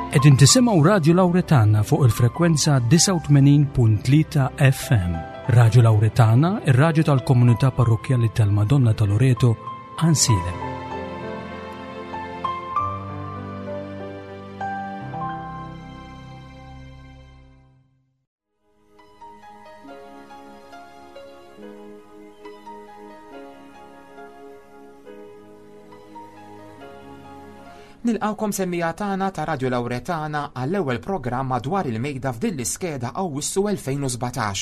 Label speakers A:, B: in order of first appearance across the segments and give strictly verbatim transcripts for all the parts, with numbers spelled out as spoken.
A: Qegħdin tisimgħu Radio Lauretana fuq il-frekwenza disgħa u tmenin punt tlieta F M. Radio Lauretana, ir-radju tal-Komunità Parrokkjali tal-Madonna ta' Loreto, Għajnsielem.
B: Nilqawkom, semmiegħa tagħna ta' Radio Lauretana, għall-ewwel programm madwar il-mejda f'din l-iskeda Awwissu elfejn u sbatax.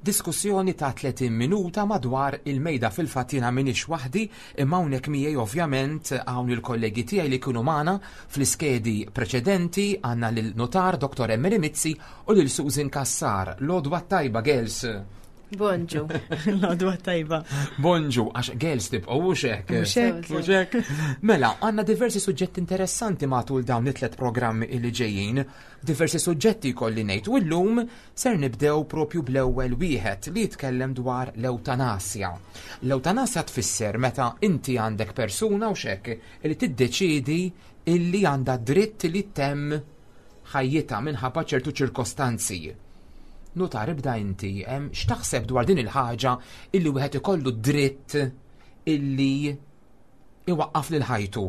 B: Diskussjoni ta' tletin minuta madwar il-mejda. Fil-fatt jiena m'iniex waħdi, imma hawnhekk miegħi ovvjament hawn il-kollegi tiegħi li kienu magħna fl-iskedi preċedenti. Għandna lil notar Doktor Emily Mizzi u lil Susan Kassar. L-għodwa tajba, girls.
C: Bonġu.
D: L-għodwa tajba.
B: Bonġu, għax girls tibqgħu, hux hekk?
D: Hux hekk.
B: Hux hekk? Mela, għandna diversi suġġetti interessanti matul dawn it-tlet programmi li ġejjin. Diversi suġġetti kolli ngħid, u llum ser nibdew propju bl-ewwel wieħed li jitkellem dwar l-ewtanasja. L-ewtanasja tfisser meta inti għandek persuna, hux hekk, li tiddeċidi illi għandha dritt li ttemm ħajjitha minħabba ċertu ċirkostanzi. Nutar, ibda inti, em, x'taħseb dwar din il-ħaġa illi wieħed ikollu dritt illi iwaqqaf lil ħajtu?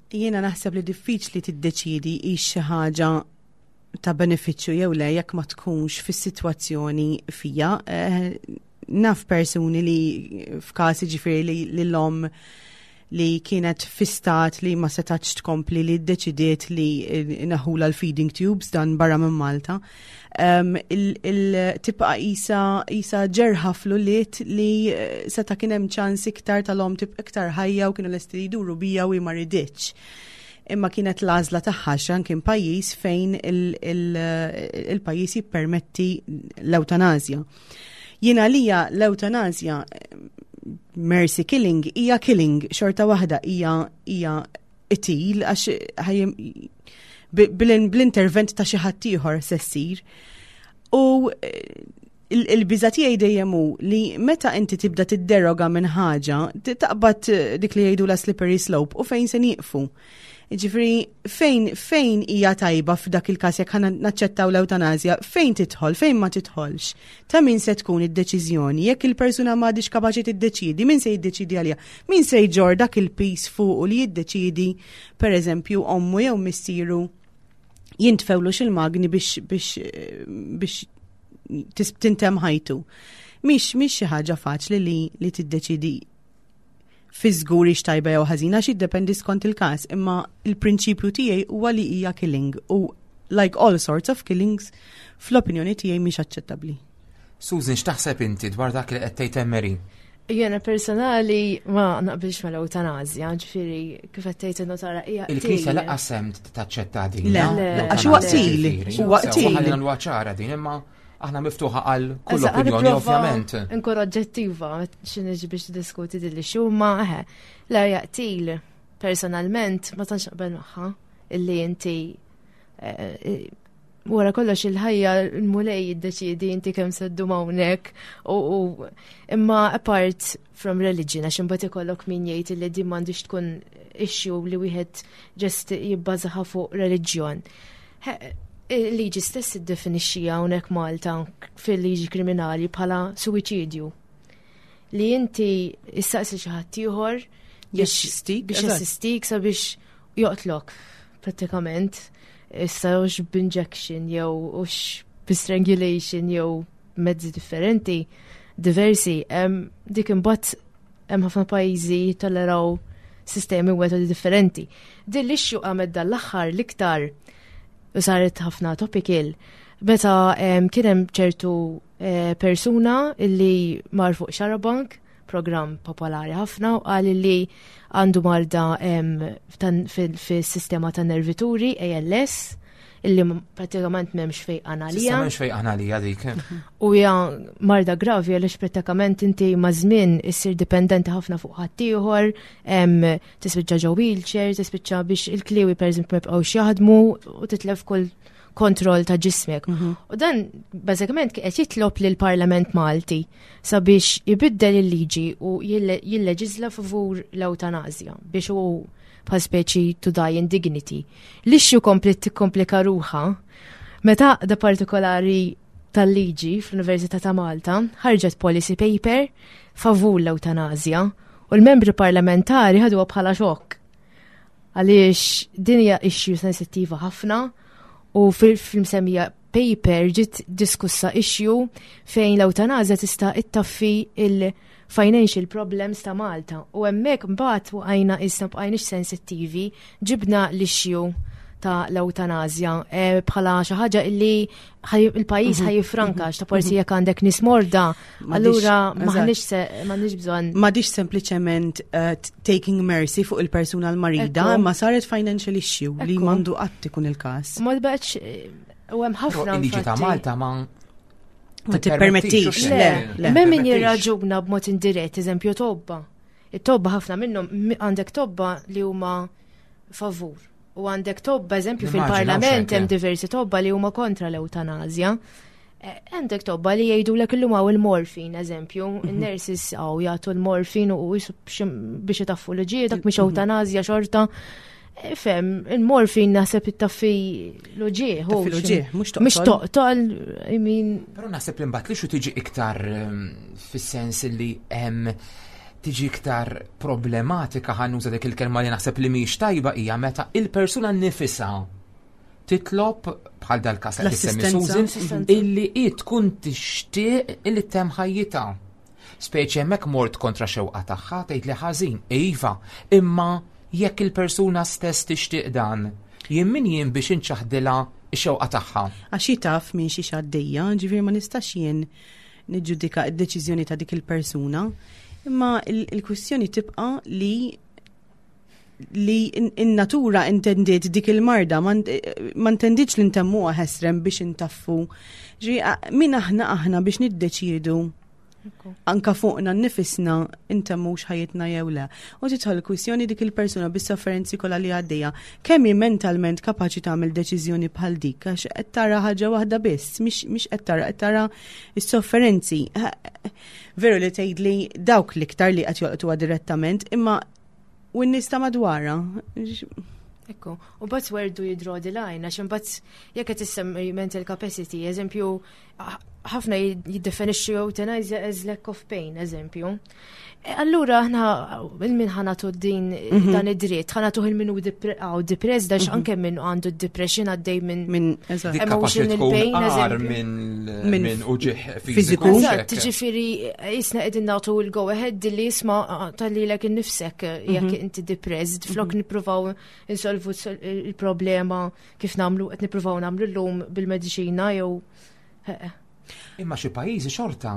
D: Jiena naħseb li diffiċli tiddeċidi hix xi ħaġa ta' benefiċċju jew le jekk ma tkunx fis-sitwazzjoni fija. Eh, naf persuni li f'każ, ġifieri, li li l-om li kienet fi stat li ma setax tkompli, li ddeċidiet li neħħulha l-feeding tubes, dan barra minn Malta. Um, il, il tibqa isa, isa ġerħa fl-ulied li eh, seta kien hemm ċans iktar tal-om tibqa iktar ħajja u kienu lesti li jduru bija u ma riditx. Imma kienet l-għażla tagħha, xan kien pajjiż fejn il-pajjiż jippermetti l-eutanazja. Jiena lija l-eutanazja, mercy killing, hija killing xorta waħda, hija hija qtil għax bl-intervent ta' xi ħadd ieħor se ssir. U eh, il-biża tiegħi dejjem hu li meta inti tibda tidderoga minn ħaġa, taqbad eh, dik li jgħidu la slippery slope u fejn se nieqfu. Ġifieri, fejn fejn hija tajba f'dak il-każ jekk ħa naċċettaw l-eutanazja, fejn tidħol, fejn ma tidħolx? Ta' min se tkun id-deċiżjoni? Jekk il-persuna m'għadix kapaċi tiddeċidi, min se jiddeċidi għaliha? Min se jġorr dak il-piż fuq li jiddeċidi, per eżempju, ommu jew missieru jintfewlu xil-magni biex biex biex tintemm ħajtu? Mhix mhix xi ħaġa faċli li li tiddeċidi fi żgur tajba jew ħażina, xi jiddependi skont il-każ, imma il-prinċipju tiegħi huwa li hija killing u, like all sorts of killings, fl-opinjoni tiegħi mhix aċċettabbli.
B: Susan, x'taħseb inti dwar dak li qed tgħid Emery?
C: Jiena personali ma naqbilx mal-eutanazja, ġifieri kif qed tgħid in-notara, hija
B: Il-Knisja lanqas hemm taċċetta din.
D: Le, għax huwa qtil, huwa qtil.
B: Ħalli nagħmluha ċara din, imma aħna miftuħa għal kull opinjoni, ovvjament.
C: Nkun oġġettiva x'niġi biex diskuti din li xumma, eħe. La jaqtil, personalment ma tantx naqbel magħha illi inti eh, eh, wara kollox il-ħajja l-Mulej jiddeċidi inti kemm se ddum hawnhekk, u imma apart from religion, għax imbagħad ikollok min jgħid li din m'għandix tkun issue li wieħed just jibbażaha fuq reliġjon. Il-liġi stess iddefinixxija hawnhekk Malta fil-liġi kriminali bħala suwiċidju. Li inti issaqsi xi ħadd ieħor
D: biex
C: biex jassistik sabiex joqtlok prattikament. Issa hux b'injection jew hux b'strangulation jew mezzi differenti diversi. Dik imbagħad hemm ħafna pajjiżi tolleraw sistemi u metodi differenti. Din l-issue qamet dal-aħħar l-iktar u saret ħafna topical meta kien hemm ċertu eh, persuna illi mar fuq Xarabank, program popolari ħafna, u qal li għandu marda fis-sistema ta' nervituri, A L S, illi pratikament m'hemmx fejqan għalija.
B: M'hemmx fejqan għalija dik.
C: U hija marda gravi għaliex pratikament inti ma' żmien issir dipendenti ħafna fuq ħaddieħor, tispiċċa ġo wheelchair, tispiċċa biex il-kliwi, pereżempju, ma jibqgħux jaħdmu u titlef kull kontroll ta' ġismek.
D: Mhm.
C: U dan bażikament qed jitlob lil Parlament Malti sabiex ibiddel il-liġi u jilleġisla favur l-ewtanasja biex u bħal speċi to die in dignity. L-issue kompli tikkomplika ruħha meta da partikolari tal-liġi fl-Università ta' Malta ħarġet policy paper favur l-ewtanasja u l-membri parlamentari ħaduha bħala xokk. Għaliex din hija issue sensittiva ħafna u fil-msemmija paper ġiet diskussa issue fejn l-ewtanasja tista' ittaffi il-financial problems ta' Malta. U hemmhekk mbagħad waqajna issa bqajniex sensittivi, ġibna l-issue ta' l-ewtanasja eh, bħala xi ħaġa illi il-pajjiż mhm. ħa jiffranka ta' forsi jekk għandek nies morda, allura m'aħniex m'għandniex bżonn.
D: M'għadix sempliċement uh, taking mercy fuq il-persuna l-marida, ma saret financial issue li m'għandu qatt ikun il-każ.
C: Ma baqgħetx u hemm ħafna.
B: Il-liġi ta' Malta ma
D: ma tippermettix.
C: Le, le. Min jirraġuna b'mod indirett, eżempju tobba. It-tobba ħafna minnhom għandek tobba li huma favur. U għandek tobba, eżempju, fil-parlament hemm diversi tobba li huma kontra l-ewtanasja. Eh, għandek tobba li jgħidu l illum hawn il-morfin, eżempju, mhm. il-nurses għaw jagħtu l-morfin u biex itaffu l-ġie, dak mhix mhm. ewtanasja xorta. Eh, fem, il-morfin naħseb ittaffi l-uġieħ.
D: Taffi l-uġieħ, mhux
C: toqtol. Mhux toqtol, I mean.
B: Però naħseb li mbagħad li xu tiġi iktar ehm, fis-sens li hemm tiġi iktar problematika, ħa nuża dik il-kelma li naħseb li mhix tajba, hija meta il-persuna nifisha titlob, bħal dal-każ li semmi Susan, illi hi tkun tixtieq illi ttemm ħajjitha. Speċi hemmhekk mort kontra xewqa tagħha, tgħid li ħażin, iva, imma jekk il-persuna stess tixtieq dan, jien min jien biex inċaħdilha x-xewqa tagħha?
D: Għax taf minn xi għaddejja, ġifieri ma nistax jien niġġudika d-deċiżjoni ta' dik il-persuna. Imma il-kwistjoni tibqa' li li in-natura intendiet dik il-marda, ma intendietx li ntemmuha ħesrem biex intaffu. Ġi, min aħna aħna biex niddeċiedu anka fuqna nnifisna intemmux ħajjitna jew le? U tidħol kwistjoni dik il-persuna bis-sofferenzi kollha li għaddejja, kemm hi mentalment kapaċi tagħmel deċiżjoni bħal dik, għax qed tara ħaġa waħda biss, mhix qed tara qed tara s-sofferenzi. Veru li tgħidli dawk l-iktar li qed jolqtuha direttament, imma u n-nies ta' madwarha.
C: Ekku, u but where do you draw the line? Għax imbagħad jekk qed issemmi mental capacity, eżempju, ħafna jiddefinixxu euthanasia as lack of pain, eżempju. E, allura aħna il-min ħa nagħtu din mhm. dan id-dritt, ħa nagħtu il-min hu depressed, għax mhm. anke min għandu depression għaddej minn
D: minn
C: emotional pain,
B: minn minn uġigħ fiżiku.
C: Eżatt, ġifieri jisna qegħdin nagħtu l-go ahead li jisma' tgħallilek innifsek jekk mhm. inti depressed, flok nippruvaw insolvu il-problema kif nagħmlu qed nippruvaw nagħmlu llum bil-mediċina jew
B: Imma xi pajjiżi xorta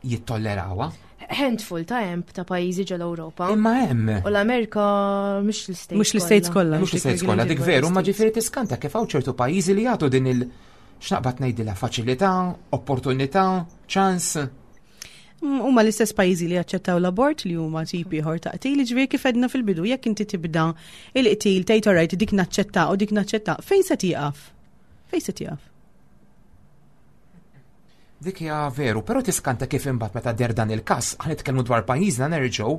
B: jittollerawha.
C: Handful ta' hemm ta' pajjiżi ġol Ewropa.
B: Imma hemm.
C: U l-Amerika mhux l-States.
D: Mhux l-States kollha.
B: Mhux l-States kollha, dik veru, ma ġifieri tiskanta kif hawn ċertu pajjiżi li jagħtu din il x'naqbad ngħidilha, faċilità, opportunità, ċans.
D: Huma l-istess pajjiżi li jaċċettaw l-abort, li huma tipi ieħor ta' qtil, ġifieri kif għedna fil-bidu, jekk inti tibda il-qtil tgħid alright dik naċċetta u dik naċċetta, fejn se tieqaf? Fejn se tieqaf?
B: Dik hija veru, però tiskanta kif imbagħad meta der dan il-każ, ħa nitkellmu dwar pajjiżna nerġgħu,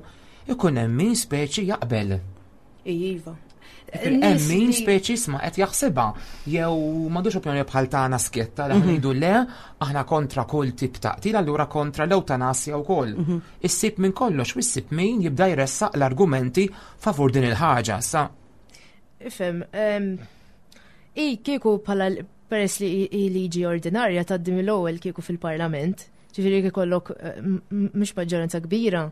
B: ikun hemm min speċi jaqbel.
C: Iva.
B: Hemm min speċi sma qed jaħsibha jew m'għandux opinjoni bħal tagħna skjetta li ngħidu le, aħna kontra kull tip ta' qtil, allura kontra l-ewtanasja wkoll. Mhm. Issib minn kollox u issib min jibda jressaq l-argumenti favur din il-ħaġa. Sa
C: Ifhem, i kieku bħala peress li liġi ordinarja tgħaddi mill-ewwel kieku fil-Parlament, ġifieri ikollok eh, mhux maġġoranza kbira,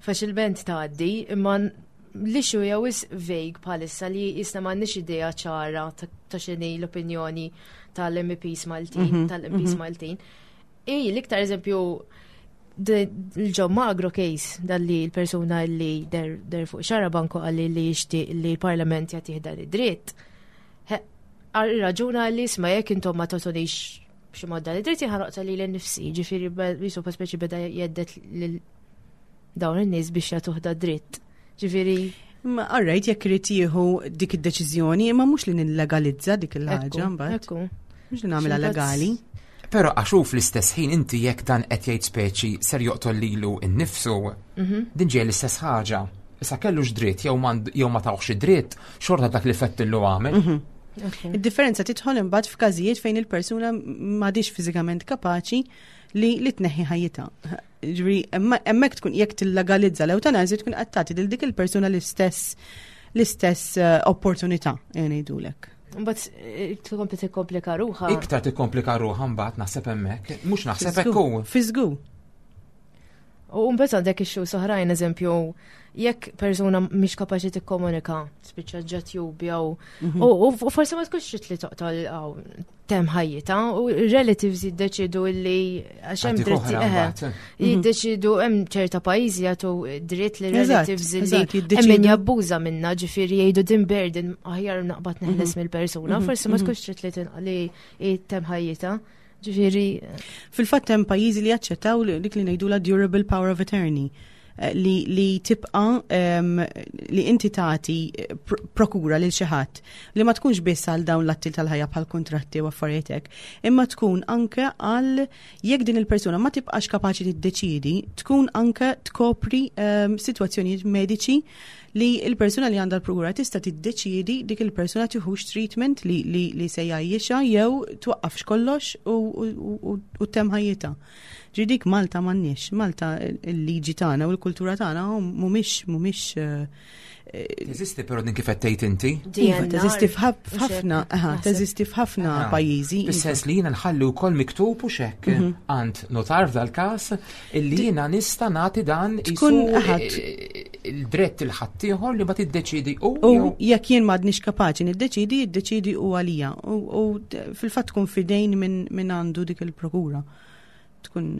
C: faċilment tgħaddi, imma l-issue hija wisq vague bħalissa li jisna m'għandniex idea ċara ta' x'inhi l-opinjoni tal-M Ps Maltin, mhm, tal-M Ps mhm. Maltin. I l-iktar eżempju il-John Magro case, dalli l-persuna li der, der fuq Xarabank qalli li jixtieq li l-Parlament jagħtih dan id-dritt. Raġuna li isma' jekk intom ma tagħtunix b'xi mod dan id-dritt, ħa noqtol lili nnifsi, ġifieri jisu speċi beda jhedded lil dawn in-nies biex jagħtuh da dritt. Ġifieri.
D: Ma alright, jekk irid jieħu dik id-deċiżjoni, imma mhux li nillegalizza dik il-ħaġa mbagħad.
C: Ekku.
D: Mhux li nagħmilha legali.
B: Però għax hu fl-istess ħin inti jekk dan qed jgħid speċi ser joqtol lilu innifsu, din ġej l-istess ħaġa. Issa kellux dritt jew m'għand- jew ma tawx dritt, xorta dak li fettillu għamel.
D: Id-differenza tidħol imbagħad f'każijiet fejn il-persuna m'għadix fiżikament kapaċi li li tneħħi ħajjitha. Ġifieri hemmhekk tkun jekk tillegalizza l-ewtanasja tkun qed tagħti lil dik il-persuna l-istess l-istess eh, opportunità ngħidulek.
C: Mbagħad eh, tkompli tikkomplika ruħha.
B: Iktar tikkomplika ruħha mbagħad naħseb hemmhekk, mhux naħseb hekk hu.
D: Fiżgu.
C: U mbagħad għandek issues oħrajn, eżempju, jekk persuna mhix kapaċi tikkomunika, spiċċa ġat jew u u forsi ma tkunx trid li toqtol aw temm ħajjitha u relatives jiddeċidu li għax hemm
B: Għadik
C: dritti
B: oħra
C: eħe,
B: mbagħad.
C: jiddeċidu hemm ċerta pajjiżi jagħtu dritt li
D: Eżatt,
C: relatives li
D: eżatt,
C: hemm
D: jiddeċidu.
C: min jabbuża minna, ġifieri jgħidu din burden aħjar naqbad neħles mill-persuna, forsi ma tkunx trid li tinqa li temm ħajjitha. Ġifieri
D: Fil-fatt hemm pajjiżi li jaċċettaw li- dik li ngħidula durable power of attorney eh, li, li tibqa em, li inti tagħti eh, pr prokura lil xi ħadd li ma tkunx biss għal dawn l-atti tal-ħajja bħal kuntratti u affarijiet hekk, imma tkun anke għal jekk din il-persuna ma tibqax kapaċi tiddeċidi, tkun anke tkopri um, sitwazzjonijiet mediċi li il-persuna li għandha l-prokura tista' tiddeċidi dik il-persuna tieħux treatment li, li, li se jgħajjixha jew twaqqafx kollox u, u, u, u temm ħajjitha. Ġi dik Malta m'għandniex, Malta il-liġi tagħna u l-kultura tagħna mhumiex mhumiex eh,
B: Teżisti però din kif qed tgħid inti?
D: Iva, teżisti f'ħafna, aha, teżisti f'ħafna
B: Ah,
D: pajjiżi. iva.
B: Fis-sens li jiena nħalli wkoll miktub u xekk għand notar f'dal-każ illi jiena nista' nagħti dan
D: Tkun
B: isu
D: aħad.
B: eh, il-dritt il-ħaddieħor li ma tiddeċidi u
D: U
B: jew
D: jekk jien m'għadniex kapaċi niddeċidi, jiddeċidi u għalija. U, u d- fil-fatt tkun fidejn minn min għandu dik il-prokura. Tkun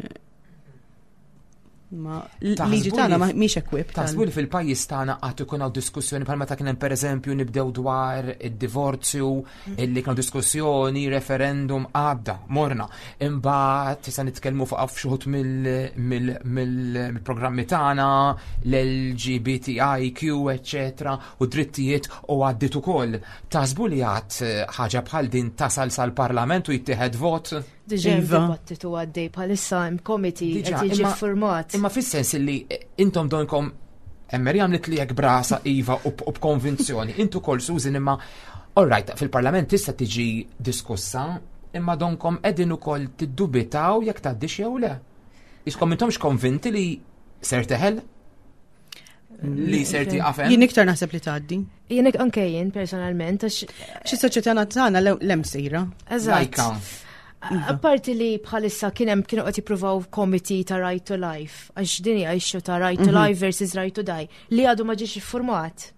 D: ma l-liġi
B: Taħsbu
D: tagħna
B: li-
D: ma mhix equipped.
B: Taħsbu li fil-pajjiż tagħna qatt ikun hawn diskussjoni bħal meta kien hemm pereżempju nibdew dwar id-divorzju, illi kienu diskussjoni, referendum għadda, morna. Imbagħad issa nitkellmu fuq xi wħud mill-programmi tagħna, l-L G B T I Q, eċetera, u drittijiet u għaddit ukoll. Taħsbu li għad ħaġa bħal din tasal sal-Parlament u jittieħed vot?
C: Diġà hemm
D: Iva.
C: dibattitu għaddej bħalissa hemm committee
B: Diġà,
C: qed jiġi
B: imma-
C: format.
B: Imma fis-sens li intom donkom Emmer għamlet li jekk brasa iva u b- u b'konvinzjoni. Intu kol Susan imma all right, fil-parlament tista' tiġi diskussa, imma donkom qegħdin ukoll tiddubitaw jekk tgħaddix jew le. Iskom intomx konvinti li ser teħel? Li ser tieqaf hemm?
D: Jien iktar naħseb li tgħaddi.
C: Jien anke jien personalment għax
D: Xi soċjetà tagħna l-hemm sejra.
C: Eżatt.
B: Lajka.
C: Apparti li bħalissa kien hemm kienu qed jippruvaw committee ta' right to life, għax din hija issue ta' right to life versus right to die, li għadu ma ġiex iffurmat.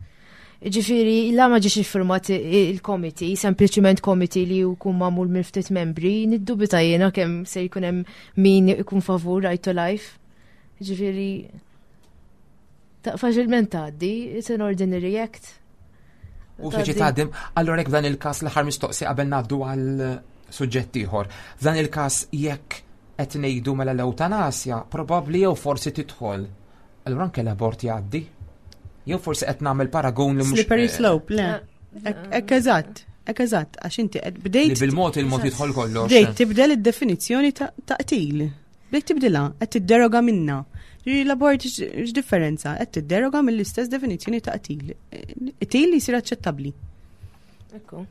C: Ġifieri, la ma ġiex iffurmat il-committee, sempliċiment committee li jkun magħmul minn ftit membri, niddubita jiena kemm se jkun hemm min ikun favur right to life. Ġifieri, ta' faċilment tgħaddi, it's an ordinary act.
B: U speċi tgħaddim, allora jekk f'dan il-każ l-aħħar mistoqsi qabel ngħaddu għal suġġett ieħor. F'dan il-każ jekk qed ngħidu mela l-ewtanasja, probabbli jew forsi tidħol. Allura anke l-abort jgħaddi? Jew forsi qed nagħmel paragun li mhux
D: Slippery slope, le. Ekk eżatt, ekk eżatt, għax inti qed
B: Li
D: bdejt
B: bil-mod il-mod jidħol kollox.
D: bdejt tibdel id-definizzjoni ta' ta' qtil. Bdejt tibdilha, qed tidderoga minna. Ġifieri l-abort x'differenza? Qed tidderoga mill-istess definizzjoni ta' qtil. Qtil li jsir aċċettabbli.
C: Ekku.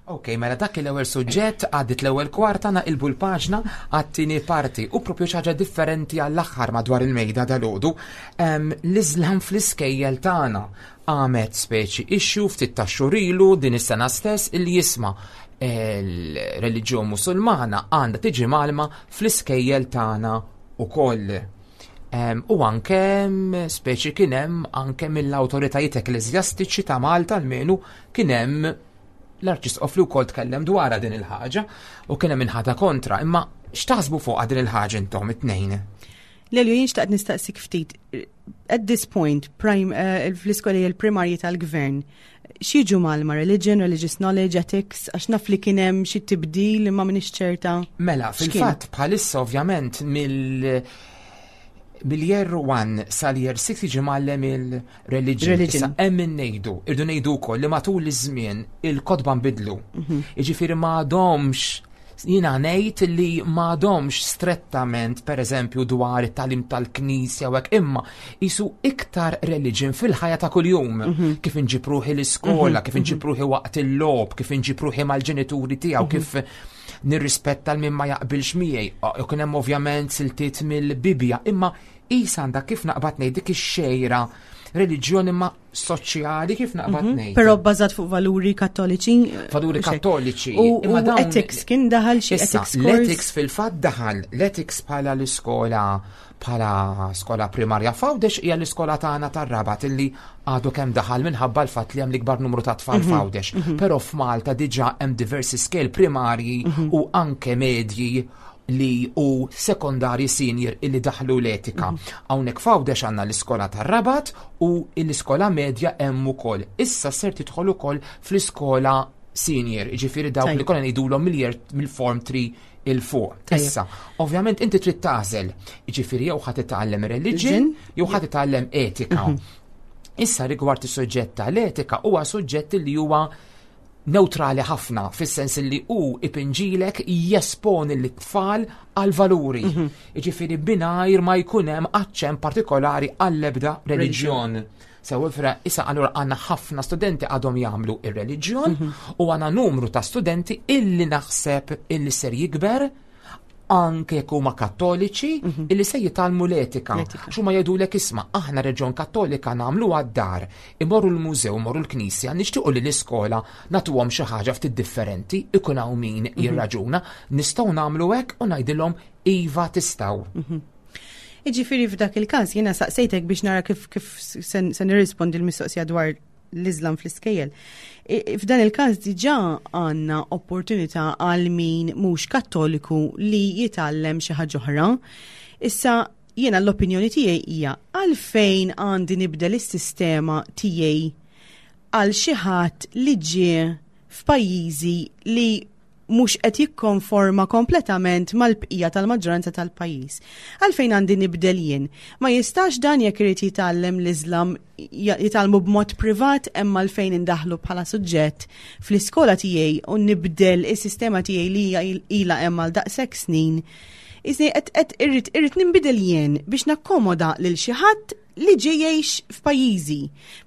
B: Ok, mela dak l-ewwel suġġett għaddit l-ewwel kwarta, naqilbu l-paġna għat-tieni parti u propju xi ħaġa differenti għall-aħħar madwar il-mejda dalgħodu. L-Iżlam fl-iskejjel tagħna għamet speċi issue ftit ta' xhur ilu din is-sena stess illi jisma' il-reliġjon Musulmana għandha tiġi mgħallma fl-iskejjel tagħna ukoll. Em, u anke speċi kien hemm anke mill-awtoritajiet ekkleżjastiċi ta' Malta, almenu kien hemm l-Arċisqof li wkoll tkellem dwarha din il-ħaġa u kien hemm inħata kontra. Imma x'taħsbu fuqha din il-ħaġa intom it-tnejn?
D: Lelju, jien xtaqt nistaqsik ftit. At this point, prime, uh, fl-iskoli il-primarji tal-gvern, x'jiġu mgħallma religion, religious knowledge, ethics, għax naf li kien hemm xi tibdil imma m'iniex ċerta.
B: Mela,
D: X'kien?
B: fil-fatt bħalissa ovvjament mill Mill-year one sal-year six jiġi mgħallem il-religion.
D: Religion.
B: Issa hemm min ngħidu, irdu ngħidu wkoll li matul iż-żmien il-kotba nbidlu. Jiġifieri m'għadhomx, jiena ngħid li m'għadhomx strettament, pereżempju, dwar it-tagħlim tal-Knisja u hekk, imma jisu iktar religion fil-ħajja ta' kuljum. Kif inġib ruħi l-iskola, kif inġib ruħi waqt il-logħob, kif inġib ruħi mal-ġenituri tiegħu, kif nirrispetta l min ma jaqbilx miegħi. U kien hemm ovvjament siltiet mill-Bibja, imma isa għandha, kif naqbad ngħid, dik ix-xejra reliġjoni ma soċjali, kif naqbad ngħid.
D: Però bbażat fuq valuri kattoliċi.
B: Valuri
D: mhux hekk.
B: Kattoliċi.
D: U,
B: Imma
D: u
B: dawn-
D: ethics kien daħal xi
B: Issa,
D: ethics course?
B: L-ethics fil-fatt daħal, l-ethics bħala l-iskola bħala skola primarja f'Għawdex hija l-iskola tagħna tar-Rabat illi għadu kemm daħal minħabba l-fatt li hemm l-ikbar numru ta' tfal f'Għawdex. Però f'Malta diġà hemm diversi skejjel primarji u anke medji li u sekondari senior illi daħlu l-etika. Hawnhekk f'Għawdex għandna l-iskola tar-Rabat u l-iskola medja hemm ukoll. Issa ser tidħol ukoll fl-iskola senior, ġifieri dawk li
D: Tajjeb.
B: konna ngħidulhom mill-year mill-form three 'il fuq.
D: Tajjeb.
B: Issa, ovvjament inti trid tagħżel, ġifieri jew ħa titgħallem religion, jew ħa titgħallem etika. Issa, rigward is-suġġett tal-etika, huwa suġġett li huwa neutrali ħafna, fis-sens li hu ipinġilek, jesponi l-tfal għal valuri. Jiġifieri mingħajr ma jkun hemm aċċent partikolari għall-ebda reliġjon. Sew ifra, issa allura għandna ħafna studenti għadhom jagħmlu ir-reliġjon u għandna numru ta' studenti illi naħseb illi ser jikber, anke jekk huma kattoliċi, illi se jitgħallmu l-etika.
D: L-etika.
B: X'huma jgħidulek: "Isma', aħna reliġjon kattolika nagħmlu għad-dar, imorru l-mużew, imorru l-knisja, nixtiequ li l-iskola nagħtuhom xi ħaġa ftit differenti." Ikun hawn min jirraġuna, "Nistgħu nagħmlu hekk?" U ngħidilhom: "Iva, tistgħu."
D: Iġifieri f'dak il-każ jiena saqsejtek biex nara kif kif se se nirrispondi l-mistoqsija dwar l-Islam fl-iskejjel. I- F'dan il-każ diġà għandna opportunità għal min mhux kattoliku li jitgħallem xi ħaġa oħra. Issa jiena l-opinjoni tiegħi hija: għalfejn għandi nibdel is-sistema tiegħi għal xi ħadd li ġie f'pajjiżi li mhux qed jikkonforma kompletament mal-bqija tal-maġġoranza tal-pajjiż? Għalfejn għandi nibdel jien? Ma jistax dan, jekk irid jitgħallem l-Islam, jitgħallmu b'mod privat, imma għalfejn indaħlu bħala suġġett fl-iskola tiegħi u nibdel is-sistema tiegħi li hija ilha hemm għal daqshekk snin? Isni qed qed irrid irrid ninbidel jien biex nakkomoda lil xi ħadd li ġej jgħix f'pajjiżi.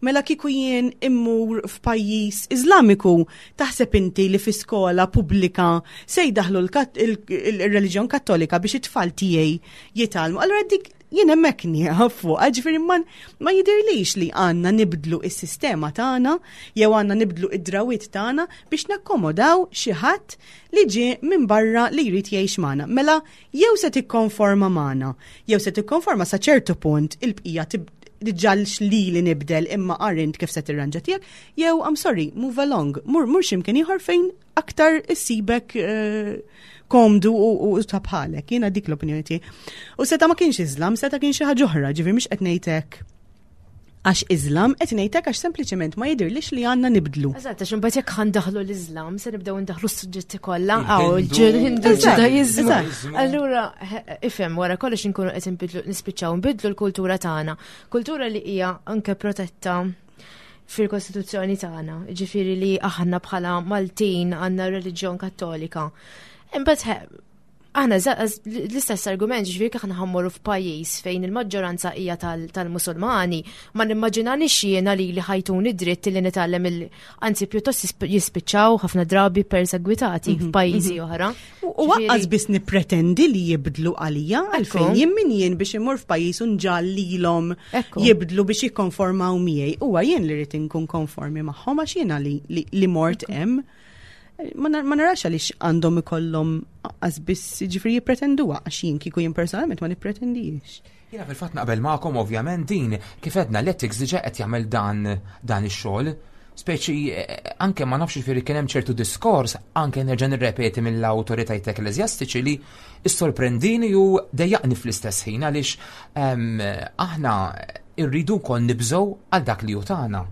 D: Mela kieku jien immur f'pajjiż Iżlamiku, taħseb inti li fi skola pubblika se jdaħlu il-reliġjon kattolika biex it-tfal tiegħi jitgħallmu? Allura dik jien hemmhekk nieqaf fuq, ġifieri ma ma jidirlix li għandna nibdlu is-sistema tagħna jew għandna nibdlu id-drawwiet tagħna biex nakkomodaw xi ħadd li ġie minn barra li jrid jgħix magħna. Mela jew se tikkonforma magħna, jew se tikkonforma sa ċertu punt, il-bqija diġà li li nibdel, imma arint kif se tirranġa tiegħek, jew, I'm sorry, move along, mur mur x'imkien ieħor fejn aktar issibek eh, komdu u, u ta' bħalek. Jiena dik l-opinjoni tiegħi. U seta' ma kienx Islam, seta' kien xi ħaġa oħra, ġifieri mhux qed ngħidlek għax Islam, qed ngħidlek għax sempliċement ma jidirlix li għandna nibdlu.
C: Eżatt, għax imbagħad jekk ħa ndaħħlu l-Islam, se nibdew ndaħħlu s-suġġetti kollha, għaw
B: Il-Hindu.
C: il-Hindu,
D: Eżatt,
C: il-Ġudajiżmu.
D: eżatt.
C: Allura, ifhem, wara kollox inkunu qed inbidlu, nispiċċaw nbidlu l-kultura tagħna. Kultura li hija anke protetta fil-Kostituzzjoni tagħna, ġifieri li aħna bħala Maltin għandna reliġjon kattolika. Imbagħad aħna l-istess argument, ġifieri aħna ħa mmorru f'pajjiż fejn il-maġġoranza hija tal-Musulmani, ma nimmaġinanix jiena li li ħa jtuni dritt li nitgħallem il anzi pjuttost jispiċċaw ħafna drabi persegwitati mhm, f'pajjiżi mhm. oħra.
D: U lanqas biss nipretendi li jibdlu għalija, għalfejn jien min jien biex imur f'pajjiż u nġallilhom jibdlu biex jikkonformaw miegħi? Huwa jien li rrid inkun konformi magħhom għax jiena li mort hemm. Ma narax għaliex għandhom ikollhom lanqas biss, ġifieri, jippretenduha, għax jien kieku jien personalment ma nippretendix.
B: Jiena fil-fatt naqbel magħkom ovvjament. Din kif għedna, l-ethics diġà qed jagħmel dan dan ix-xogħol. Speċi eh, anke ma nafx, ġifieri kien hemm ċertu diskors, anke nerġa' nirrepeti, mill-awtoritajiet ekkleżjastiċi li issorprendini u dejjaqni fl-istess ħin, għaliex ehm, aħna irridu wkoll nibżgħu għal dak li hu tagħna.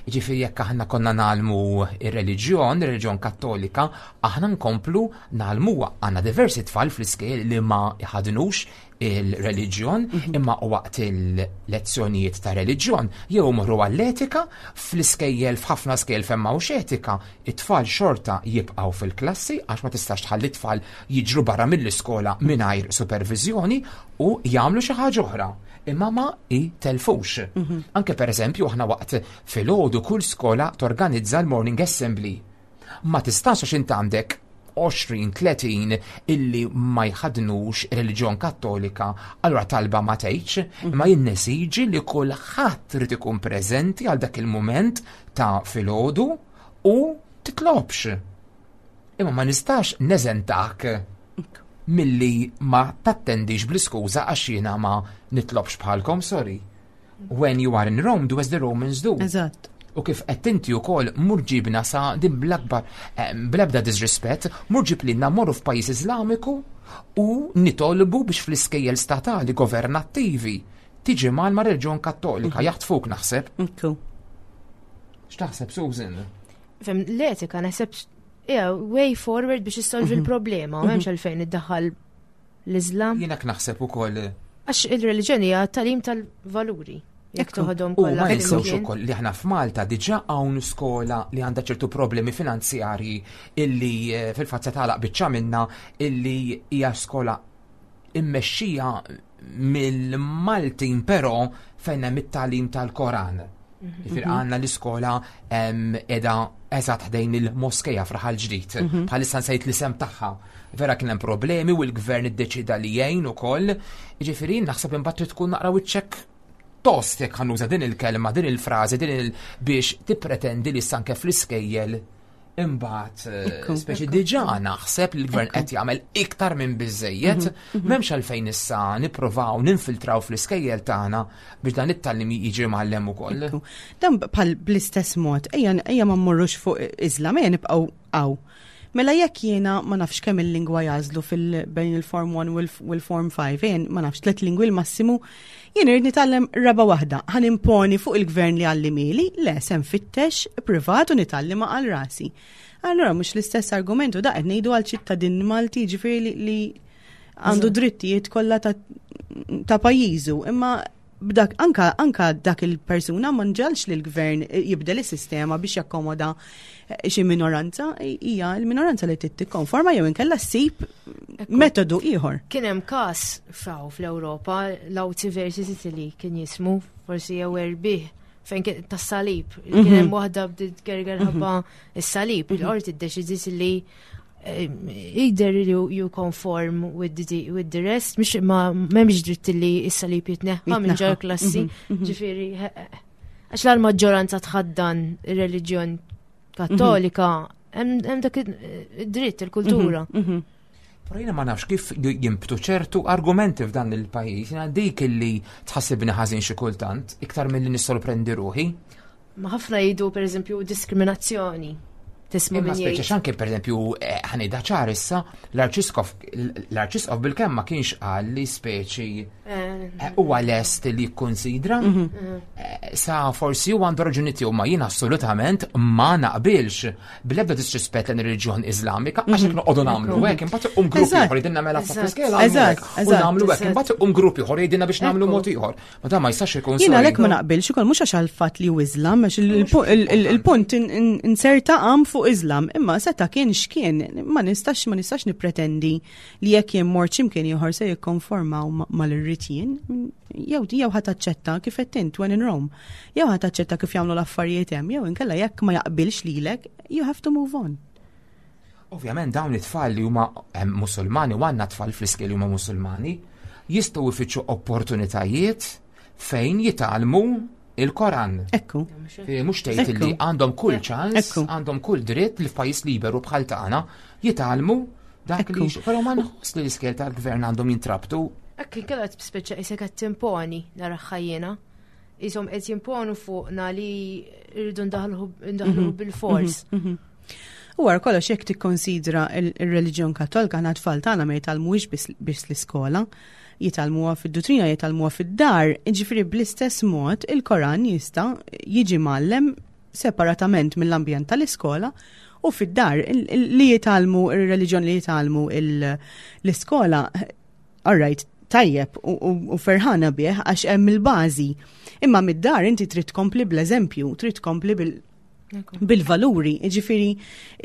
B: Ġifieri jekk aħna konna ngħallmu ir-reliġjon, ir-reliġjon kattolika, aħna nkomplu ngħallmuha. Għandna diversi tfal fl-iskejjel li ma jħadnux Il-reliġjon, imma waqt il-lezzjonijiet ta' reliġjon jew morru għall-etika. Fl-iskejjel, f'ħafna skejjel fejn m'hawnx etika, it-tfal xorta jibqgħu fil-klassi għax ma tistax tħalli tfal jiġru barra mill-iskola mingħajr supervizjoni u jagħmlu xi ħaġa oħra. Imma ma jtelfux. Anke per eżempju aħna waqt filgħodu kull skola torganizza l-morning assembly. Ma tistax, għax int għandek għoxrin tletin illi ma jħadnux reliġjon Kattolika, allura talba ma tgħidx, imma jien nesiġi li kulħadd irid ikun preżenti għal dak il-mument ta' filgħodu u titlobx. Imma ma nistax neżentak milli ma tattendix bl-iskuża għax jiena ma nitlobx bħalkom, sorry. When you are in Rome, do as the Romans do.
D: Eżatt.
B: U kif qed inti wkoll mur ġibna sa din bl-akbar eh, bl-ebda disrispett, mur ġib lilna mmorru f'pajjiż Iżlamiku u nitolbu biex fl-iskejjel statali governattivi tiġi mal ma' reliġjon Kattolika, jaħtfuk naħseb.
D: Ekku.
B: X'taħseb, Susan?
C: Fem, l-etika naħseb yeah, way forward biex issolvi l-problema, m'hemmx għalfejn iddaħħal l-Islam.
B: Jiena naħseb ukoll.
C: Għax il-reliġjoni hija talim tal-valuri. Jekk
D: Ekku.
C: toħodhom
B: U
C: kollha
B: ma ninsewx
C: flimkien.
B: ukoll li aħna f'Malta diġà hawn skola li għandha ċertu problemi finanzjarji illi eh, fil-fatt se tagħlaq biċċa minna, illi hija skola immexxija mill-Maltin, però fejn hemm it-tagħlim tal-Koran. Jiġifieri għandna l-iskola em, edha eżatt ħdejn il-moskeja f'Raħal Ġdid. Bħalissa nsejt l-isem tagħha. Vera kien hemm problemi u l-gvern iddeċida li jgħin ukoll. Jiġifieri naħseb imbagħad trid tkun naqra wiċċek tost, jekk ħa nuża din il-kelma, din il-frażi, din il biex tippretendi li anke fl-iskejjel imbagħad eh,
D: Ekku,
B: speċi diġà naħseb li l-gvern qed jagħmel iktar minn biżejjed, m'hemmx għalfejn issa nippruvaw ninfiltraw fl-iskejjel tagħna biex dan it-tagħlim jiġi mgħallem ukoll.
D: Ekku. Dan bħal bl-istess mod, ejja ejja ma mmorrux fuq Islam, ejja nibqgħu hawn. Mela jekk jiena ma nafx kemm il-lingwa jagħżlu fil bejn il-Form one u l-Form five, jien ma nafx, tliet lingwi l-massimu, jien irid nitgħallem raba' waħda. Ħa nimponi fuq il-gvern li għallimhieli? Le, se nfittex privat u nitgħallimha għal rasi. Allora mhux l-istess argumentu da qed ngħidu għal ċittadin Malti, ġifieri li, li għandu drittijiet kollha ta', ta' pajjiżu, imma b'dak anka anka dak il-persuna ma nġalx li l-gvern jibdel is-sistema biex jakkomoda eh, xi minoranza, hija l-minoranza li trid tikkonforma jew inkella ssib metodu ieħor.
C: Kien hemm każ faw fl-Ewropa, Lautsi versus Italy kien jismu, forsi jew erbih, fejn kien tas-salib. Kien hemm waħda bdiet gerger ħabba is-salib, il-qorti ddeċidiet li eh, either you, you conform with the, with the rest, mhux ma m'hemmx dritt li s-salib jitneħħa minn ġol
D: Jitneħħa.
C: klassi. Ġifieri, għax la l-maġġoranza tħaddan ir-reliġjon Kattolika, hemm hemm dak id-dritt, il-kultura.
B: Però jiena ma nafx kif jimbtu ċertu argumenti f'dan il-pajjiż, jiena dik illi tħassibni ħażin xi kultant, iktar milli nissorprendi ruħi.
C: Ma ħafna jgħidu, per eżempju, diskriminazzjoni. Tisma'
B: Imma
C: min
B: speċi
C: jgħid.
B: xanke per eżempju, eh, ħa ngħidha ċar issa, l-arċiskof l-arċiskof bil-kemm ma kienx qal li speċi
C: Eh,
B: eh, huwa lest li jikkonsidra. Eh, Sa forsi huwa għandu raġuni tiegħu, ma jien assolutament ma naqbilx, bl-ebda disrispett lejn ir-reliġjon Iżlamika, għax jekk noqogħdu nagħmlu hekk imbagħad um grupp
D: Eżatt.
B: ieħor jgħidilna mela sa
C: Eżatt.
B: fl-iskejjel nagħmlu
D: Eżatt,
B: hekk, u
D: eżatt,
B: nagħmlu hekk,
C: eżatt.
B: imbagħad um grupp ieħor jgħidilna biex nagħmlu
C: Ekku.
B: mod ieħor. Ma dan ma jistax ikun,
D: Jiena
B: sorry.
D: għalhekk ma naqbilx ukoll, mhux għax għal fatt li hu Islam, għax il- il- il- il-punt in- in- inserta għam fuq Islam, imma seta kien x'kien, ma nistax ma nistax nippretendi li jekk jien mort x'imkien ieħor se jikkonformaw ma- mal-irrid jien. Jew jew ħa taċċetta kif qed int, when in Rome. Jew ħa taċċetta kif jagħmlu l-affarijiet hemm, jew inkella jekk ma jaqbilx lilek, you have to move on.
B: Ovvjament dawn it-tfal li huma hemm Musulmani, u għandna tfal fl-iskejjel li huma Musulmani, jistgħu jfittxu opportunitajiet fejn jitgħallmu il-Koran.
D: Ekku.
B: Fi mhux tgħid
D: Ekku.
B: li għandhom kull ċans,
D: Ekku.
B: għandhom kull dritt li f'pajjiż liberu bħal tagħna jitgħallmu dak li
D: Ekku.
B: Però ma nħoss li l-iskejjel tal-gvern għandhom jintrabtu.
C: Ekk inkella speċa isek qed timponi naraha jiena. Isom qed jimponu fuqna li rridu ndaħluh ndaħluh bil-fors.
D: U għar kollox jekk tikkonsidra il-reliġjon Kattolika, aħna tfal tagħna ma jitgħallmuhiex biss biss l-iskola, jitgħallmuha fid-duttrina, jitgħallmuha fid-dar, ġifieri bl-istess mod il-Koran jista' jiġi mgħallem separatament mill-ambjent tal-iskola u fid-dar. Il- il- li jitgħallmu ir-reliġjon li jitgħallmu il- l-iskola, all right, Tajjeb u ferħana bih għax hemm il-bażi. Imma mid-dar inti trid tkompli bl-eżempju, trid tkompli bil-valuri. Ġifieri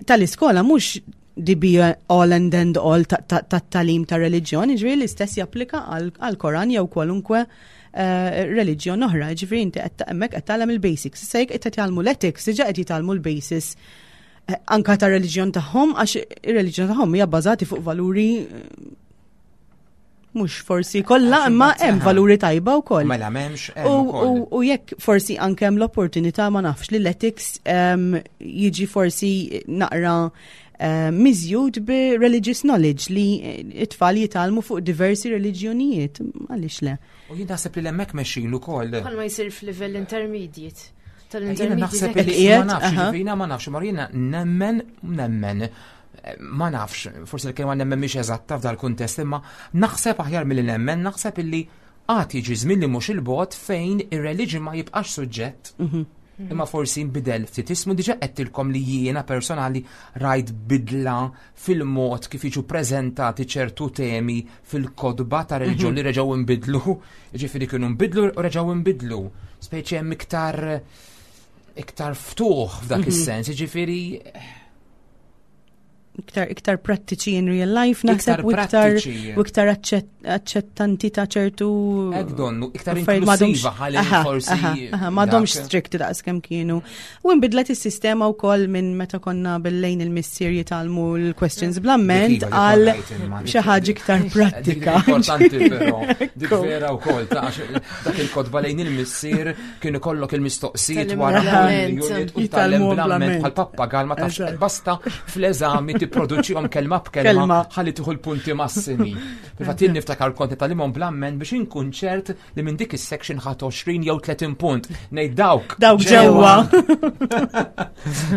D: tal-iskola mhux the be all and end all tat-tagħlim ta' reliġjon, ġifieri l-istess japplika għal-Koran jew kwalunkwe eh, reliġjon oħra, ġifieri inti hemmhekk qed tagħlem il-basics. Issa jekk qed tgħallmu l-ethics, diġà qed jitgħallmu l-basis eh, anka ta' reliġjon tagħhom, għax ir-reliġjon tagħhom hija bbażati fuq valuri eh, mhux forsi kollha, imma hemm valuri tajba wkoll.
B: Mela m'hemmx.
D: U jekk forsi anke hemm l-opportunità, ma nafx, li l-ethics jiġi forsi naqra miżjud bi religious knowledge, li it-tfal jitgħallmu fuq diversi reliġjonijiet, għaliex le?
B: U jien naħseb li hemmhekk mexjin ukoll.
C: Bħal ma jsir f'livell intermediate.
B: Tal-intermediate. Naħseb li ma nafx, jiena ma nafx, ma jiena nemmen, nemmen, ma nafx, forsi l-kelma nemmen mhix eżatta f'dal kuntest, imma naħseb aħjar milli nemmen, naħseb illi għad jiġi żmien li mhux il-bogħod fejn ir-reliġjon ma jibqax suġġett. Mhm. Imma forsi nbidel ftit ismu. Diġà għedtilkom li jiena personali rajt bidla fil-mod kif jiġu preżentati ċertu temi fil-kotba ta' reliġjon li reġgħu nbidlu. Ġifieri kienu nbidlu u reġgħu nbidlu. Speċi hemm iktar iktar ftuħ f'dak is-sens, ġifieri
D: Iktar iktar prattiċi in real life naħseb u iktar u iktar aċċettanti ta' ċertu
B: Hekk donnu, iktar inklusiva ħalli forsi.
D: M'għadhomx strict daqs kemm kienu. U nbidlet is-sistema wkoll minn meta konna bil-lejn il-missier jitgħallmu l-questions bl-amment għal xi ħaġa iktar prattika.
B: Importanti però, dik vera wkoll ta' dak il-kotba lejn il-missier kienu kollok il-mistoqsijiet wara unit u tgħallem bl-amment bħal pappagal, ma tafx, basta fl-eżami tipproduċihom kelma b'kelma ħalli tieħu l-punti massimi. Fil-fatt jien niftakar kont tgħallimhom bl-amment biex inkun ċert li minn dik is-section ħadt għoxrin jew tletin punt. Ngħid dawk.
D: Dawk ġewwa.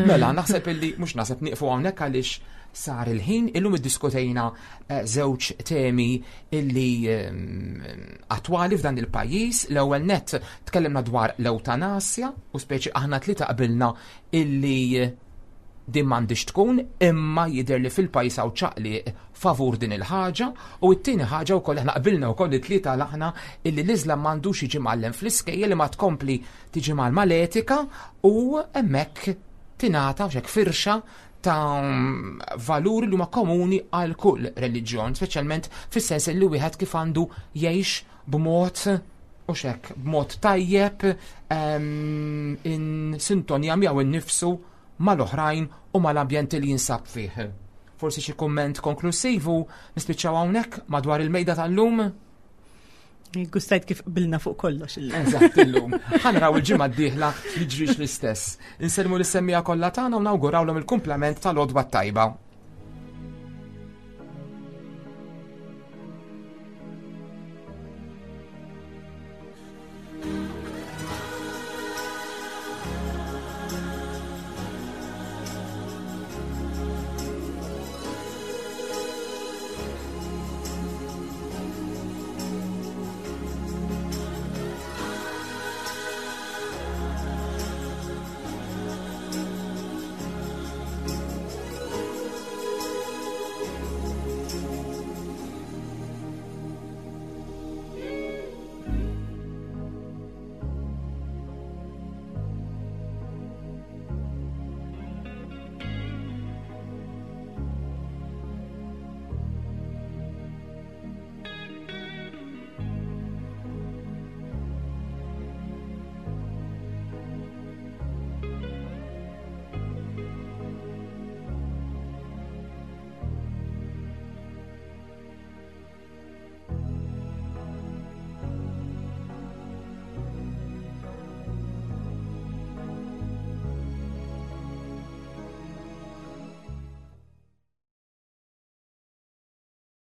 B: Mela, naħseb illi mhux naħseb, nieqfu hawnhekk għaliex sar il-ħin. Illum iddiskutejna eh, żewġ temi illi ehm, attwali f'dan il-pajjiż. L-ewwel net tkellimna dwar l-ewtanasja u speċi aħna tlieta qabilna illi din m'għandix tkun, imma jidher li fil-pajjiż hawn ċaqli favur din il-ħaġa. U t-tieni ħaġa wkoll aħna qbilna wkoll it-tlieta aħna illi l-Iżlam m'għandux jiġi mgħallem fl-iskejjel, li ma tkompli tiġi mal-etika u hemmhekk tingħata xek firxa ta' valuri li huma komuni għal kull reliġjon, speċjalment fis-sens li wieħed kif għandu jgħix b'mod u xek b'mod tajjeb in sintonja miegħu innifsu, mal-oħrajn u mal-ambjent li jinsab fih. Forsi xi kumment konklusivu nispiċċaw hawnhekk madwar il-mejda tal-lum?
D: Gustajt kif qbilna fuq kollox.
B: Eżatt illum. Ħa naraw il-ġimgħa d-dieħla jiġrix l-istess. Insellmu lis-semmiegħa kollha tagħna u nawgurawlhom il-kumplament tal-għodwa tajba.